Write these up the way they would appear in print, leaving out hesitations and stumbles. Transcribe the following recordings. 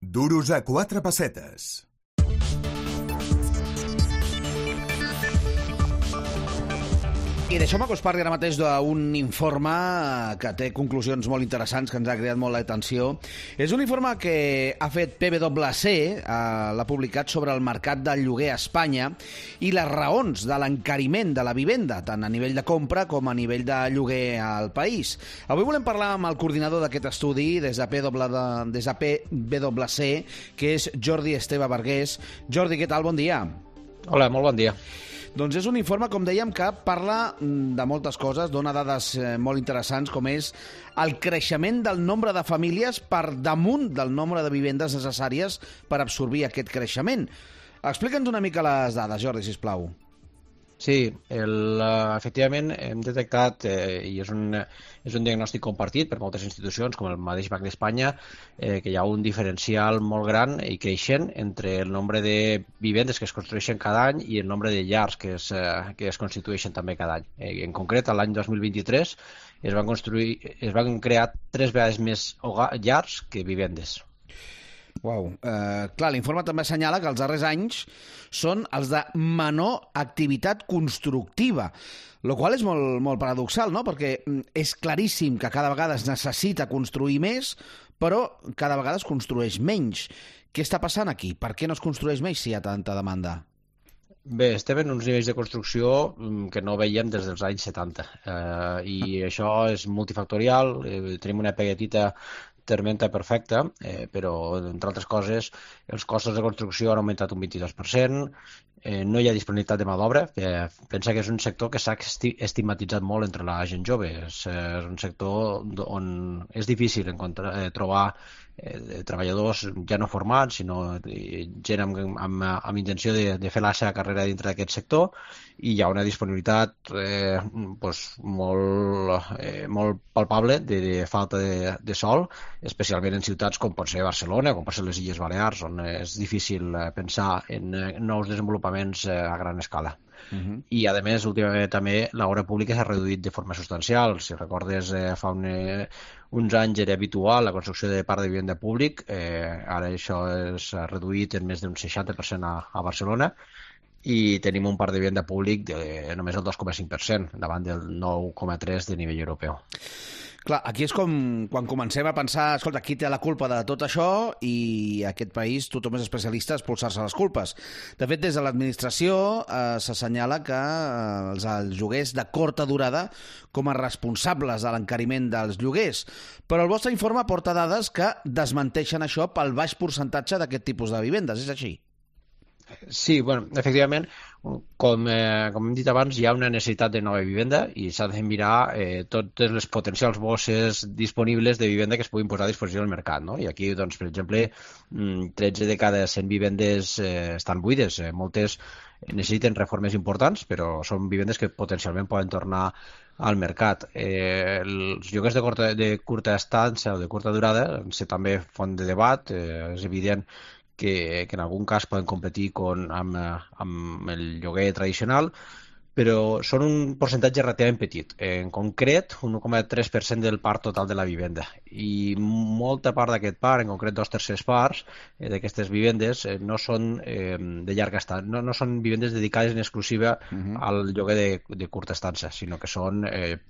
Duros a 4 pessetes. I deixeu-me que us parli ara mateix d'un informe que té conclusions molt interessants, que ens ha creat molt l'atenció. És un informe que ha fet PwC, l'ha publicat sobre el mercat del lloguer a Espanya i les raons de l'encariment de la vivenda, tant a nivell de compra com a nivell de lloguer al país. Avui volem parlar amb el coordinador d'aquest estudi des de PwC, que és Jordi Esteve Bargués. Jordi, què tal? Bon dia. Hola, molt bon dia. Doncs és un informe, com dèiem, que parla de moltes coses, dona dades molt interessants, com és el creixement del nombre de famílies per damunt del nombre de vivendes necessàries per absorbir aquest creixement. Explica'ns una mica les dades, Jordi, sisplau. Sí, efectivament hem detectat, i és un diagnòstic compartit per moltes institucions, com el mateix Banc d'Espanya, que hi ha un diferencial molt gran i creixent entre el nombre de vivendes que es construeixen cada any i el nombre de llars que es constitueixen també cada any. En concret, l'any 2023 es van crear 3 vegades més llars que vivendes. Uau. Clar, l'informe també assenyala que els darrers anys són els de menor activitat constructiva, el qual és molt paradoxal, no? Perquè és claríssim que cada vegada es necessita construir més, però cada vegada es construeix menys. Què està passant aquí? Per què no es construeix més si hi ha tanta demanda? Bé, estem en uns nivells de construcció que no veiem des dels anys 70 i això és multifactorial. Tenim una petita tormenta perfecta, però, entre altres coses, els costos de construcció han augmentat un 22%, no hi ha disponibilitat de mà d'obra. Pensa que és un sector que s'ha estigmatitzat molt entre la gent jove. És un sector on és difícil trobar treballadors ja no formats, sinó gent amb intenció de fer la seva carrera dintre d'aquest sector, i hi ha una disponibilitat molt palpable de falta de sòl, especialment en ciutats com pot ser Barcelona, com pot ser les Illes Balears, on és difícil pensar en nous desenvolupaments a gran escala. I, a més, últimament també l'obra pública s'ha reduït de forma substancial. Si recordes, fa uns anys era habitual la construcció de parc de vivenda públic, ara això s'ha reduït en més d'un 60% a Barcelona, i tenim un parc de vivenda públic de només el 2,5% davant del 9,3% de nivell europeu. Clar, aquí és com quan comencem a pensar, escolta, qui té la culpa de tot això, i aquest país tothom és especialista a expulsar-se les culpes. De fet, des de l'administració s'assenyala que els lloguers de curta durada com a responsables de l'encariment dels lloguers. Però el vostre informe porta dades que desmenteixen això pel baix percentatge d'aquest tipus de vivendes, és així? Sí, bueno, efectivament, com hem dit abans, hi ha una necessitat de nova vivenda i s'ha de mirar totes les potencials bosses disponibles de vivenda que es puguin posar a disposició del mercat, no? I aquí, doncs, per exemple, 13 de cada 100 vivendes estan buides. Moltes necessiten reformes importants, però són vivendes que potencialment poden tornar al mercat. Els lloguers de curta estança o de curta durada han estat també font de debat. És evident que en algun cas poden competir amb el lloguer tradicional, però són un percentatge relativament petit. En concret, un 1,3% del parc total de la vivenda. I molta part d'aquest parc, en concret 2/3 parts d'aquestes vivendes, no són de llarga estada, no són vivendes dedicades en exclusiva al lloguer de curta estança, sinó que són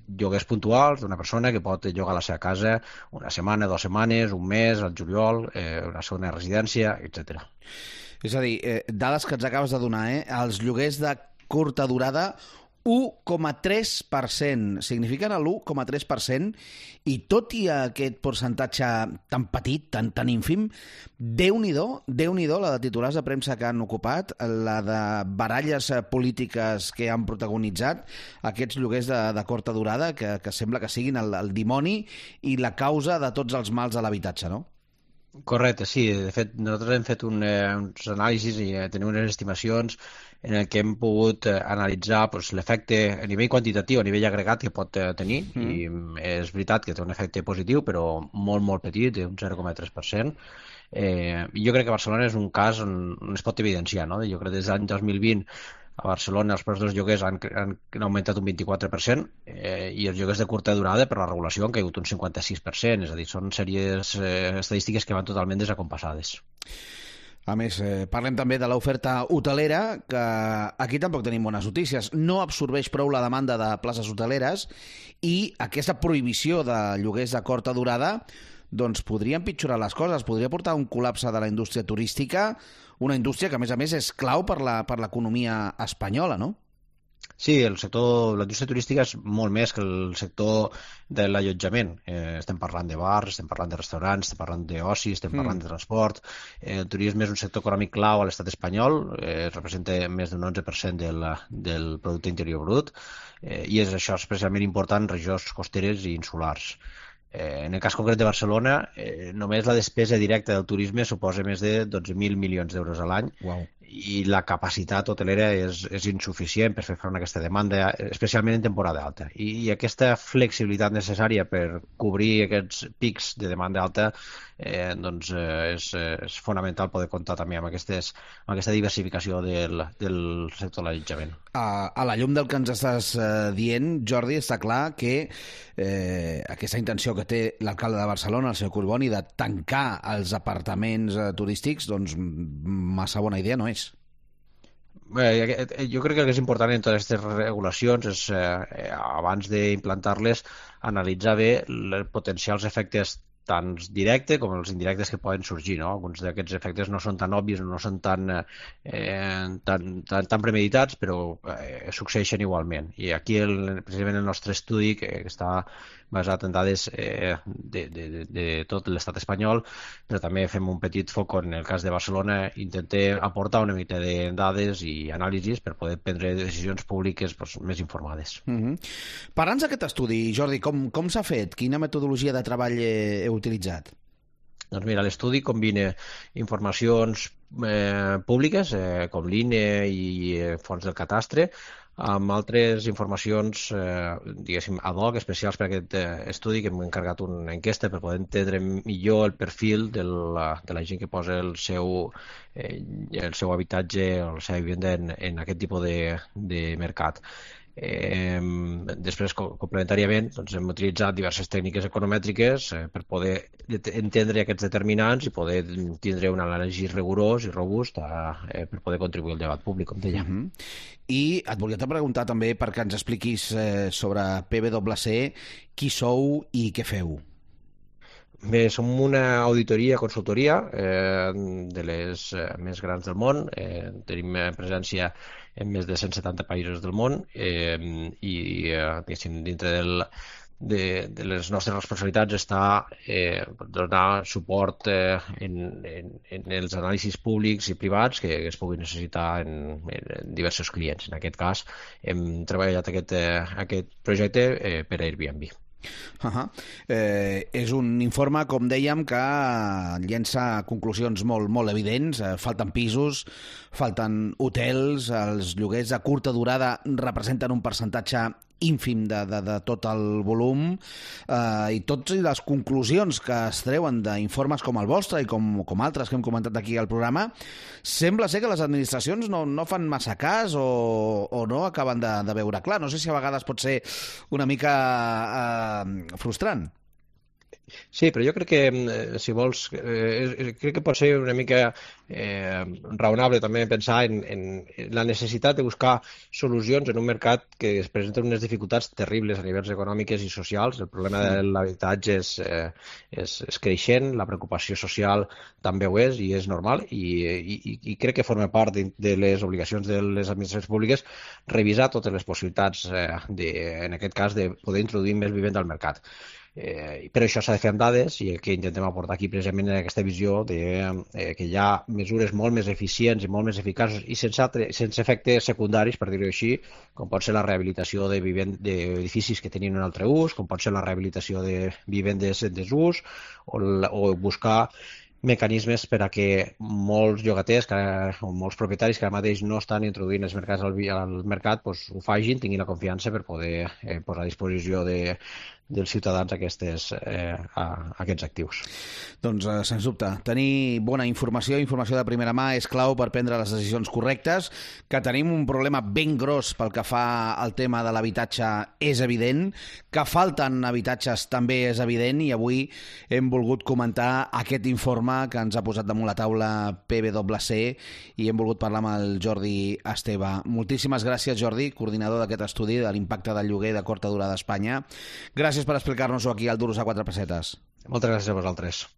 lloguers puntuals d'una persona que pot llogar la seva casa una setmana, 2 setmanes, un mes, al juliol, una segona residència, etc. És a dir, dades que ens acabes de donar, els lloguers de curta durada, 1,3%, signifiquen l'1,3%, i tot i aquest percentatge tan petit, tan ínfim, Déu-n'hi-do la de titulars de premsa que han ocupat, la de baralles polítiques que han protagonitzat aquests lloguers de curta durada, que sembla que siguin el dimoni i la causa de tots els mals de l'habitatge, no? Correcte, sí. De fet, nosaltres hem fet uns anàlisis i tenim unes estimacions en el que hem pogut analitzar l'efecte a nivell quantitatiu, a nivell agregat que pot tenir, i és veritat que té un efecte positiu, però molt, molt petit, d'un 0,3%. Jo crec que Barcelona és un cas on es pot evidenciar, no? Jo crec que des de l'any 2020 A Barcelona els preus dels lloguers han augmentat un 24% i els lloguers de curta durada per la regulació han caigut un 56%, és a dir, són sèries estadístiques que van totalment desacompassades. A més, parlem també de l'oferta hotelera, que aquí tampoc tenim bones notícies. No absorbeix prou la demanda de places hoteleres i aquesta prohibició de lloguers de curta durada doncs podria empitjorar les coses, podria portar un col·lapse de la indústria turística, una indústria que, a més, és clau per l'economia espanyola, no? Sí, la indústria turística és molt més que el sector de l'allotjament. Estem parlant de bars, estem parlant de restaurants, estem parlant d'oci, estem parlant de transport. El turisme és un sector econòmic clau a l'estat espanyol, representa més d'un 11% del producte interior brut i és això especialment important en regions costeres i insulars. En el cas concret de Barcelona, només la despesa directa del turisme suposa més de 12.000 milions d'euros a l'any. Wow. I la capacitat hotelera és insuficient per fer front a aquesta demanda, especialment en temporada alta. I aquesta flexibilitat necessària per cobrir aquests pics de demanda alta és fonamental poder comptar també amb aquesta diversificació del sector de l'allotjament. A la llum del que ens estàs dient, Jordi, està clar que aquesta intenció que té l'alcalde de Barcelona, el senyor Collboni, de tancar els apartaments turístics, doncs massa bona idea no és. Jo crec que el que és important en totes aquestes regulacions és, abans d'implantar-les, analitzar bé els potencials efectes tant directes com els indirectes que poden sorgir, no? Alguns d'aquests efectes no són tan òbvios, no són tan premeditats, però succeeixen igualment. I aquí, precisament, el nostre estudi, que està basat en dades de tot l'estat espanyol, però també fem un petit foc en el cas de Barcelona, intentem aportar una mica de dades i anàlisis per poder prendre decisions públiques més informades. Parla'ns d'aquest estudi, Jordi, com s'ha fet? Quina metodologia de treball heu utilitzat? Doncs mira, l'estudi combina informacions públiques, com l'INE i fons del catastre, amb altres informacions, diguéssim, ad hoc, especials per aquest estudi, que hem encarregat una enquesta per poder entendre millor el perfil de la gent que posa el seu habitatge o la seva vivenda en aquest tipus de mercat. Després, complementàriament, hem utilitzat diverses tècniques economètriques per poder entendre aquests determinants i poder tindre un anàlisi rigorós i robust per poder contribuir al debat públic, com deia. I et volia preguntar també perquè ens expliquis sobre PwC, qui sou i què feu. Bé, som una auditoria, consultoria de les més grans del món. Tenim presència en més de 170 països del món i dintre de les nostres responsabilitats està donar suport en els anàlisis públics i privats que es puguin necessitar en diversos clients. En aquest cas hem treballat aquest projecte per Airbnb. És un informe, com dèiem, que llença conclusions molt evidents. Falten pisos, falten hotels, els lloguers de curta durada representen un percentatge ínfim de tot el volum i totes les conclusions que es treuen d'informes com el vostre i com altres que hem comentat aquí al programa, sembla ser que les administracions no fan massa cas o no acaben de veure clar. No sé si a vegades pot ser una mica frustrant. Sí, però jo crec que, si vols, crec que pot ser una mica raonable també pensar en la necessitat de buscar solucions en un mercat que es presenten unes dificultats terribles a nivells econòmiques i socials. El problema de l'habitatge és creixent, la preocupació social també ho és i és normal i crec que forma part de les obligacions de les administracions públiques revisar totes les possibilitats, en aquest cas, de poder introduir més vivenda al mercat. Però això s'ha de fer amb dades i el que intentem aportar aquí precisament en aquesta visió que hi ha mesures molt més eficients i molt més eficaços i sense efectes secundaris, per dir-ho així, com pot ser la rehabilitació d'edificis que tenien un altre ús, com pot ser la rehabilitació de vivendes en desús o buscar mecanismes per a que molts llogaters o molts propietaris que ara mateix no estan introduint els mercats al mercat ho facin, tinguin la confiança per poder posar a disposició dels ciutadans a aquests actius. Doncs, sens dubte, tenir bona informació de primera mà és clau per prendre les decisions correctes. Que tenim un problema ben gros pel que fa al tema de l'habitatge és evident, que falten habitatges també és evident, i avui hem volgut comentar aquest informe que ens ha posat damunt la taula PwC i hem volgut parlar amb el Jordi Esteve. Moltíssimes gràcies, Jordi, coordinador d'aquest estudi de l'impacte del lloguer de curta durada a Espanya. Gràcies per explicar-nos-ho aquí al Duros a 4 pessetes. Moltes gràcies a vosaltres.